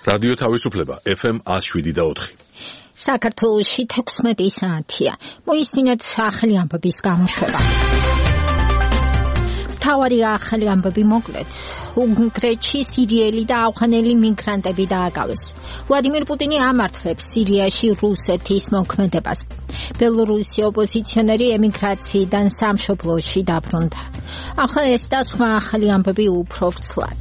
რადიო თავისუფლება FM 107.4. საქართველოში 16 საათია. მოისმინეთ ახალი ამბების გამოშვება. მთავარი ახალი ამბები მოკლედ. უნგრეთში სირიელი და ავღანელი მიგრანტები დააკავეს. ვლადიმერ პუტინი ამართლებს სირიაში რუსეთის მოქმედებას. ბელორუსი ოპოზიციონერი ემიგრაციიდან სამშობლოში დაბრუნდა. ახლა ეს და სხვა ახალი ამბები უფრო ვრცლად.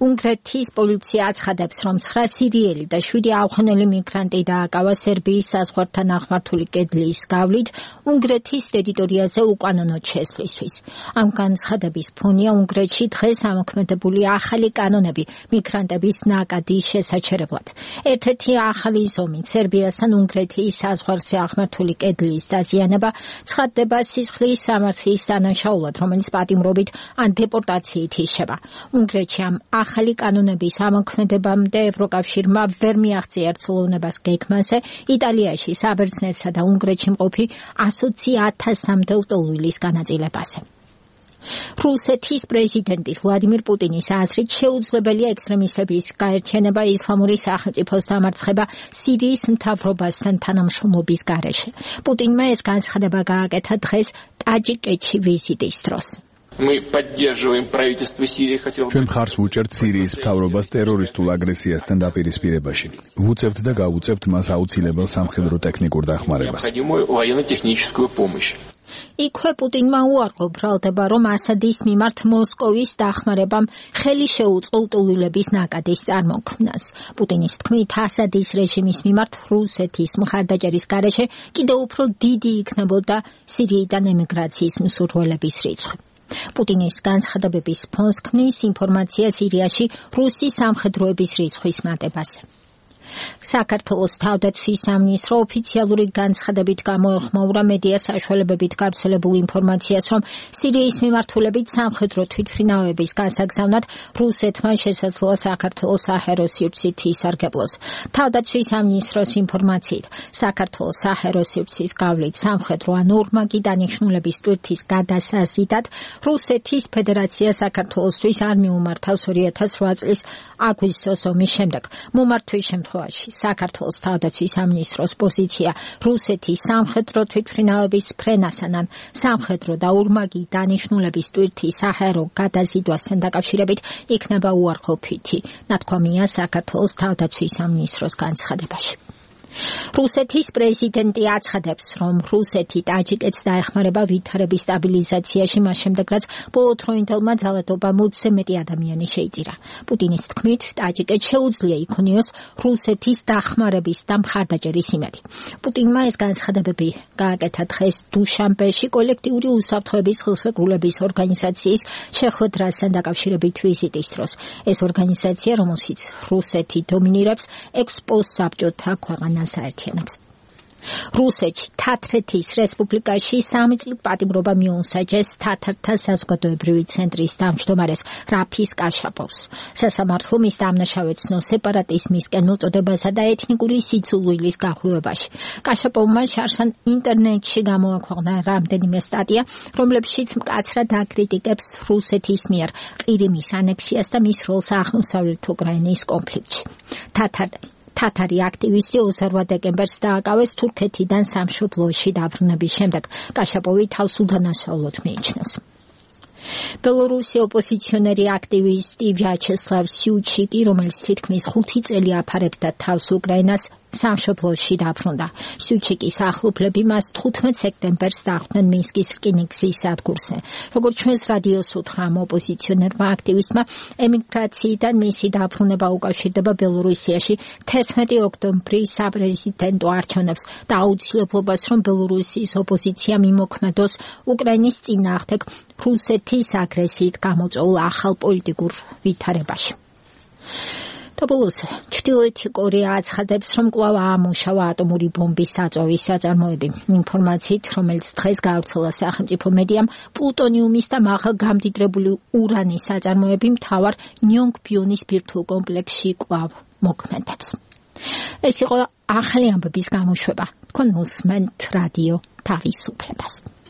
უნგრეთის პოლიცია აცხადებს, რომ 9 სირიელი და 7 ავღანელი მიგრანტი დააკავა სერბიის საზღვართან აღმართული კედლის გავლით უნგრეთის ტერიტორიაზე უკანონოდ შესვლისთვის. ამ განცხადების ფონია უნგრეთში დღეს ამოქმედებული ახალი კანონები მიგრანტების ნაკადის შესაჩერებლად. ერთ-ერთი ახალი ზომით სერბიასთან უნგრეთის საზღვარზე აღმართული კედლის დაზიანება ცხადდება სისხლის სამართლის დანაშაულად, რომელიც პატიმრობით ან დეპორტაციით იშება. უნგრეთში ამ ახალი კანონების ამოქმედებამდე ევროკავშირმა ვერ მიაღწია ერთსულოვნებას გეგმაზე იტალიაში საბერძნეთსა და უნგრეთში მყოფი 120,000-მდე ლტოლვილის განაწილებაზე. რუსეთის პრეზიდენტის ვლადიმერ პუტინის აზრით შეუძლებელია ექსტრემისტების გაერთიანება ისლამური სახელმწიფოს დამარცხება სირიის მთავრობასთან თანამშრომლობის გარეშე. პუტინმა ეს განცხადება გააკეთა დღეს ტაჯიკეთში ვიზიტის დროს. ჩვენ მხარს ვუჭერთ სირიის მთავრობას ტერორისტულ აგრესიასთან დაპირისპირებაში. ვუწევთ და გავუწევთ მას აუცილებელ სამხედრო ტექნიკურ დახმარებას. იქვე პუტინმა უარყო ბრალდება, რომ ასადის მიმართ მოსკოვის დახმარებამ ხელი შეუწყო ლტოლვილების ნაკადის წარმოქმნას. პუტინის თქმით, ასადის რეჟიმის მიმართ რუსეთის მხარდაჭერის გარეშე კიდევ უფრო დიდი იქნებოდა სირიიდან ემიგრაციის მსურველების რიცხვი. პუტინის განცხადებების ფონს ქმნის ინფორმაცია სირიაში რუსი სამხედროების რიცხვის მატებაზე. საქართველოს თავდაცვის სამინისტრო ოფიციალური განცხადებით გამოეხმაურა მედია საშუალებებით გავრცელებულ ინფორმაციას, რომ სირიის მიმართულებით სამხედრო თვითმფრინავების გასაგზავნად რუსეთმა შესაძლოა საქართველოს საჰაერო სივრცით ისარგებლოს. თავდაცვის სამინისტროს ინფორმაციით, საქართველოს საჰაერო სივრცის გავლით სამხედრო ან ორმაგი დანიშნულების ტვირთის გადასაზიდად რუსეთის ფედერაცია საქართველოსთვის არ მიუმართავს 2008 წლის აგვისტოს ომის შემდეგ. მომართვის შემთხვევაში საქართველოს თავდაცვის სამინისტროს პოზიცია რუსეთის სამხედრო თვითმფრინავების ფრენასთან ან სამხედრო და ორმაგი დანიშნულების ტვირთის საჰაერო გადაზიდვასთან დაკავშირებით იქნება უარყოფითი, ნათქვამია საქართველოს თავდაცვის სამინისტროს განცხადებაში. რუსეთის პრეზიდენტი აცხადებს, რომ რუსეთი ტაჯიკეთს დაეხმარება ვითარების სტაბილიზაციაში მას შემდეგ, რაც ბოლო დროინდელმა ძალადობამ 20-ზე მეტი ადამიანი შეიწირა. პუტინის თქმით, ტაჯიკეთს შეუძლია იქონიოს რუსეთის დახმარების და მხარდაჭერის იმედი. პუტინმა ეს განცხადებები გააკეთა დღეს დუშანბეში კოლექტიური უსაფრთხოების ხელშეკრულების ორგანიზაციის შეხვედრასთან დაკავშირებით ვიზიტის დროს. ეს ორგანიზაცია, რომელშიც რუსეთი დომინირებს, ექსპოსაბჭოთა ქვეყანას საერთიანებს. რუსეთში თათრეთის რესპუბლიკაში 3 წლით პატიმრობა მიუსაჯეს თათართა საზოგადოებრივი ცენტრის თავმჯდომარეს რაფის კაშაპოვს. სასამართლო მის დამნაშავედ ცნო სეპარატიზმისკენ უწოდებასა და ეთნიკური სიძულვილის გახვევებაში. კაშაპოვმა შარშან ინტერნეტში გამოაქვეყნა რამდენიმე სტატია, რომლებშიც მკაცრად აკრიტიკებს რუსეთის მიერ ყირიმის ანექსიას და მის როლს აღმოსავლეთ უკრაინის კონფლიქტში. თათარი აქტივისტი 28 დეკემბერს დააკავეს თურქეთიდან სამშობლოში დაბრუნების შემდეგ. კაშაპოვი თავს უდანაშაულოდ მიიჩნევს. ბელორუსი ოპოზიციონერი აქტივისტი ვიაჩესლავ სიუჩიკი, რომელიც თითქმის 5 წელი აფარებდა თავს უკრაინას, სამშობლოში დაბრუნდა. სიუჩიკის ახლობლები მას 15 სექტემბერს დახვდნენ მინსკის რკინიგზის სადგურზე. როგორც ჩვენს რადიოს უთხრა ოპოზიციონერმა აქტივისტმა, ემიგრაციიდან მისი დაბრუნება უკავშირდება ბელორუსიაში 11 ოქტომბრის საპრეზიდენტო არჩევნებს და აუცილებლობას, რომ ბელორუსის ოპოზიცია მიმოქმედოს უკრაინის წინააღმდეგ რუსეთის აგრესიით გამოწვეულ ახალ პოლიტიკურ ვითარებაში. ბოლოს ჩრდილოეთი კორეა აცხადებს, რომ კვლავ აამუშავა ატომური ბომბის საწვავის საწარმოები. ინფორმაციით, რომელიც დღეს გავრცელა სახელმწიფო მედიამ, პლუტონიუმის და მაღალგამდიდრებული ურანის საწარმოები მთავარ ნიონგბიონის ბირთვულ კომპლექსში კვლავ მოქმედებს. ეს იყო ახალი ამბების გამოშვება. თქვენ უსმენთ რადიო თავისუფლებას.